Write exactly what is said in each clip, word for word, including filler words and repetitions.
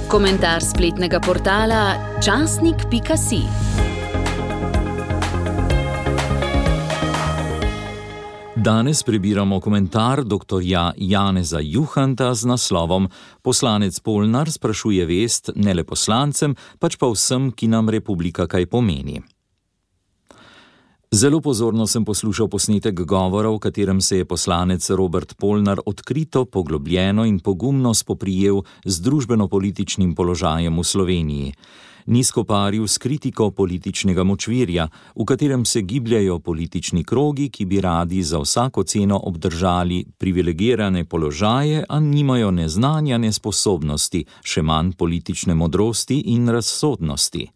Komentar spletnega portala časnik pika si. Danes prebiramo komentar doktorja Janeza Juhanta z naslovom Poslanec Polnar sprašuje vest ne le poslancem, pač pa vsem, ki nam republika kaj pomeni. Zelo pozorno sem poslušal posnetek govora, v katerem se je poslanec Robert Polnar odkrito, poglobljeno in pogumno spoprijel z družbeno-političnim položajem v Sloveniji. Ni skoparil s kritiko političnega močvirja, v katerem se gibljajo politični krogi, ki bi radi za vsako ceno obdržali privilegirane položaje, a nimajo ne znanja, ne sposobnosti, še manj politične modrosti in razsodnosti.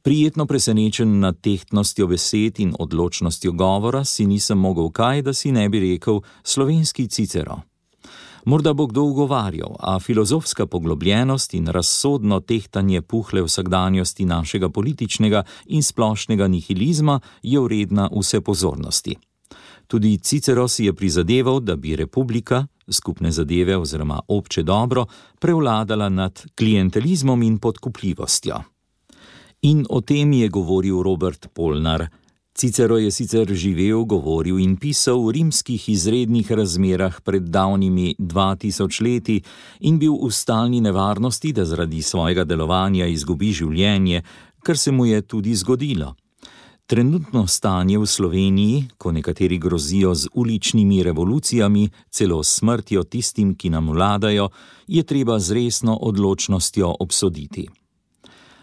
Prijetno presenečen nad tehtnostjo besed in odločnostjo govora si nisem mogel kaj, da si ne bi rekel slovenski Cicero. Morda bo kdo ugovarjal, a filozofska poglobljenost in razsodno tehtanje puhle vsakdanjosti našega političnega in splošnega nihilizma je vredna vse pozornosti. Tudi Cicero si je prizadeval, da bi republika, skupne zadeve oziroma obče dobro, prevladala nad klientelizmom in podkupljivostjo. In o tem je govoril Robert Polnar. Cicero je sicer živel, govoril in pisal v rimskih izrednih razmerah pred davnimi dva tisoč leti in bil v stalni nevarnosti, da zaradi svojega delovanja izgubi življenje, kar se mu je tudi zgodilo. Trenutno stanje v Sloveniji, ko nekateri grozijo z uličnimi revolucijami, celo smrtjo tistim, ki nam vladajo, je treba z resno odločnostjo obsoditi.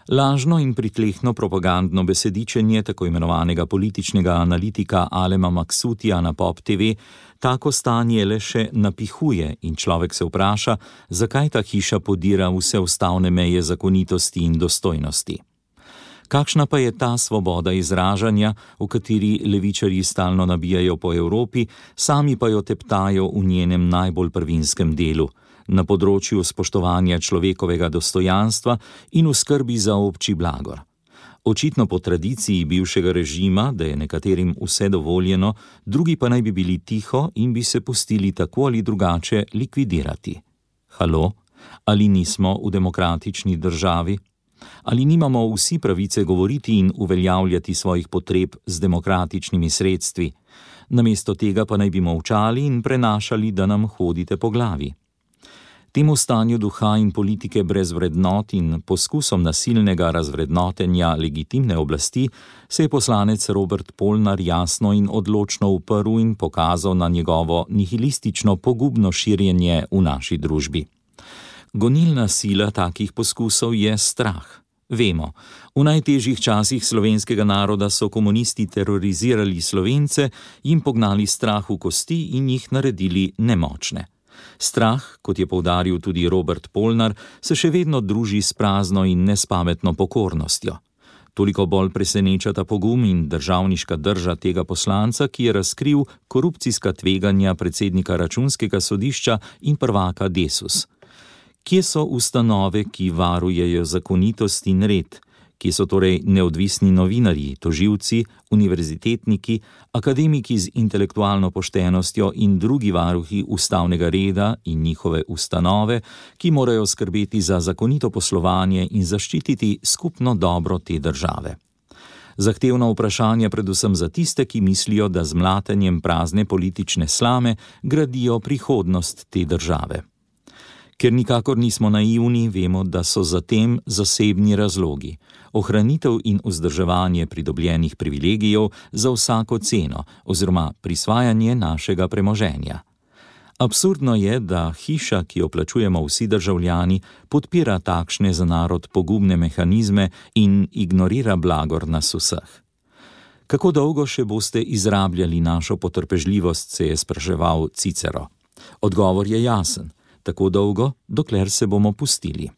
Lažno in pritlehno propagandno besedičenje tako imenovanega političnega analitika Alema Maksutija na Pop te ve tako stanje le še napihuje in človek se vpraša, zakaj ta hiša podira vse ustavne meje zakonitosti in dostojnosti. Kakšna pa je ta svoboda izražanja, v kateri levičarji stalno nabijajo po Evropi, sami pa jo teptajo v njenem najbolj prvinskem delu, na področju spoštovanja človekovega dostojanstva in v skrbi za obči blagor. Očitno po tradiciji bivšega režima, da je nekaterim vse dovoljeno, drugi pa naj bi bili tiho in bi se pustili tako ali drugače likvidirati. Halo? Ali nismo v demokratični državi? Ali nimamo vsi pravice govoriti in uveljavljati svojih potreb z demokratičnimi sredstvi? Namesto tega pa naj bi molčali in prenašali, da nam hodite po glavi. Temu stanju duha in politike brez vrednot in poskusom nasilnega razvrednotenja legitimne oblasti se je poslanec Robert Polnar jasno in odločno uprl in pokazal na njegovo nihilistično pogubno širjenje v naši družbi. Gonilna sila takih poskusov je strah. Vemo, v najtežjih časih slovenskega naroda so komunisti terorizirali Slovence, jim pognali strah v kosti in jih naredili nemočne. Strah, kot je poudaril tudi Robert Polnar, se še vedno druži s prazno in nespametno pokornostjo. Toliko bolj preseneča ta pogum in državniška drža tega poslanca, ki je razkril korupcijska tveganja predsednika Računskega sodišča in prvaka Desus. Kje so ustanove, ki varujejo zakonitost in red? Kje so torej neodvisni novinarji, tožilci, univerzitetniki, akademiki z intelektualno poštenostjo in drugi varuhi ustavnega reda in njihove ustanove, ki morajo skrbeti za zakonito poslovanje in zaščititi skupno dobro te države? Zahtevno vprašanje predvsem za tiste, ki mislijo, da z mlatenjem prazne politične slame gradijo prihodnost te države. Ker nikakor nismo naivni, vemo, da so za tem zasebni razlogi. Ohranitev in vzdrževanje pridobljenih privilegijev za vsako ceno oziroma prisvajanje našega premoženja. Absurdno je, da hiša, ki jo plačujemo vsi državljani, podpira takšne za narod pogubne mehanizme in ignorira blagor nas vseh. Kako dolgo še boste izrabljali našo potrpežljivost, se je spraševal Cicero. Odgovor je jasen. Tako dolgo, dokler se bomo pustili.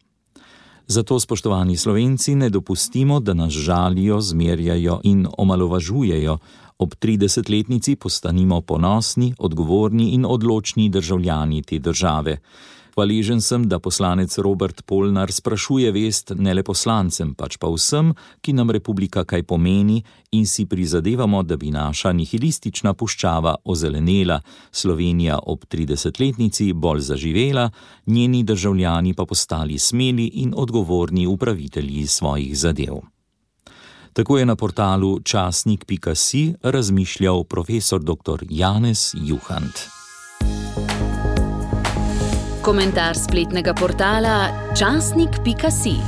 Zato, spoštovani Slovenci, ne dopustimo, da nas žalijo, zmerjajo in omalovažujejo. Ob tridesetletnici postanimo ponosni, odgovorni in odločni državljani te države. Hvaležen sem, da poslanec Robert Polnar sprašuje vest ne le poslancem, pač pa vsem, ki nam republika kaj pomeni in si prizadevamo, da bi naša nihilistična puščava ozelenela, Slovenija ob tridesetletnici bolj zaživela, njeni državljani pa postali smeli in odgovorni upravitelji svojih zadev. Tako je na portalu časnik pika si razmišljal profesor doktor Janez Juhant. Komentar spletnega portala časnik pika si.